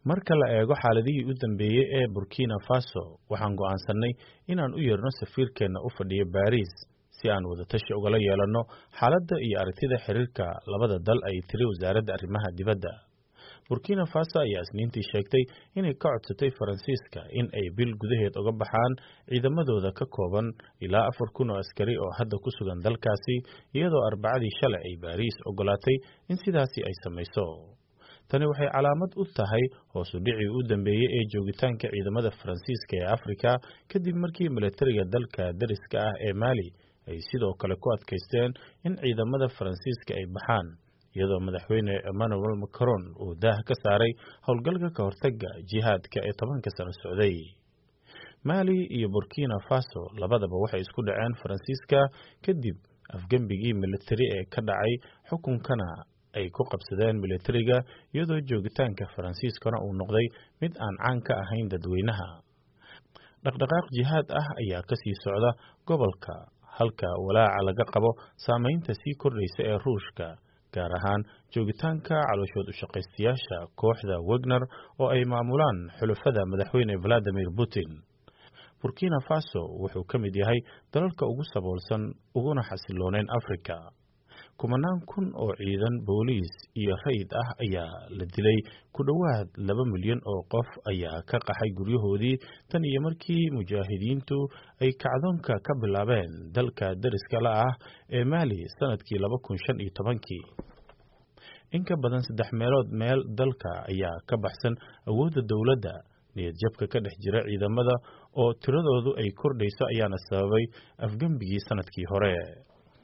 Marka la eego xaaladihii u dambeeyay ee Burkina Faso, waxaan go'aansanay inaan u yeerno safiirkeena u fadhiya Paris si aan wadatashi ugala yeelanno xaaladda iyo aragtida xiriirka labada dal, ay tiri wasaaradda arrimaha dibadda. Burkina Faso ayaa Isniintii sheegtay inay ka codsatay Faransiiska in ay bil gudaheed uga baxaan ciidamadooda ka kooban ilaa 4,000 oo askari oo hadda ku sugan dalkaasi, iyadoo Arbacadii shalay ay Baariis ogolaatay in sidaasi ay samayso. Tani waxay calaamad u tahay hoos u dhicii u dambeeyay ee joogitaanka ciidamada Faransiiska ee Afrika, kadib markii milatariga dalka dariska ah ee Mali ay sidoo kale ku adkaysteen in ciidamada Faransiiska ay baxaan, iyadoo madaxweyne Emmanuel Macron uu daah ka saaray howlgalka ka hortagga jihaadka ee 10-ka sano socday. Mali iyo Burkina Faso labadaba waxay isku dhaceen Faransiiska kadib afgembigii militari ee ka dhacay, xukunkana ay ku qabsadeen militariga, iyadoo joogitaanka Faransiiskana uu noqday mid aan caan ka ahayn dadweynaha. Dhaqdhaqaaq jihaad ah ayaa ka sii socda gobolka, halka walaaca laga qabo saameynta sii kordhaysa ee Ruushka, gaar ahaan joogitaanka calooshood u shaqaystayaasha kooxda Wagner oo ay maamulaan xulafada madaxweyne Vladimir Putin. Burkina Faso wuxuu ka mid yahay dalalka ugu saboolsan uguna xasilooneyn Afrika. Kumanaan kun oo ciidan booliis iyo rayid ah ayaa la dilay, ku dhowaad 2 milyan oo qof ayaa ka qaxay guryahoodii tan iyo markii mujaahidiintu ay kacdoonka ka bilaabeen dalka dariska la ah ee Mali sanadkii 2015-kii. In ka badan saddex meelood meel dalka ayaa ka baxsan awoodda dowladda. Niyad jabka ka dhex jira ciidamada oo tiradoodu ay kordhayso ayaana sababay afgembigii sanadkii hore.